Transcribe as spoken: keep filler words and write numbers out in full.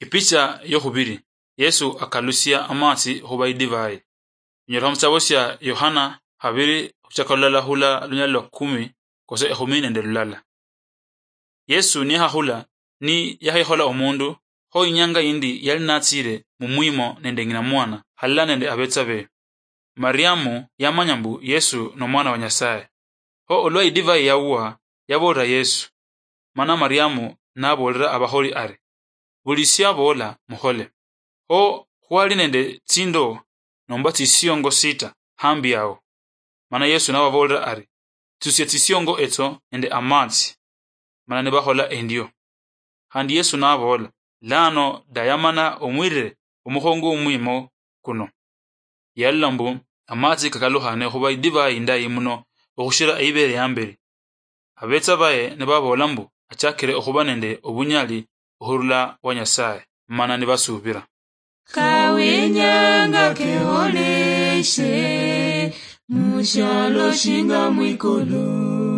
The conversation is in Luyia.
Ipicha yokhubiri, Yesu akalusia amatsi khuba idivai. Inyolekha muchitabo sia Yohana khabiri khuchaka lulala khula lunyali lwa kumi kose ekhumi nende lulala. Yesu niyakhakula, ni yakhekhola omundu, kho inyanga yindi yali natsile mumwimo nende ng'ina mwana, halala nende abetsa be. Mariamu yamanya mbu Yesu nomwana wa Nyasaye. Kho olwa idivai yawuwa, yabolera Yesu. Mana Mariamu nabolera abakholi ari, "Buli siabola mukhole." Kho khwali nende tsindoo nomba tsisiongo sita hambi awo. Mana Yesu nababolera ari, "Tsusia tsisiongo etso nende amatsi." Mana nibakhola endio. Khandi Yesu nabola, "Lano dayamana omwirire omukhongo omwimo kuno." Yalola mbu amatsi kakalukhane okhuba idivai indayi muno okhushira eibere yamberi. Abetsa baye nibabola mbu achakire okhuba nende obunyali okhurula wa Nyasaye, mana nibasubira. Kawenyanga keholeshe, mushialo shinga mwikulu.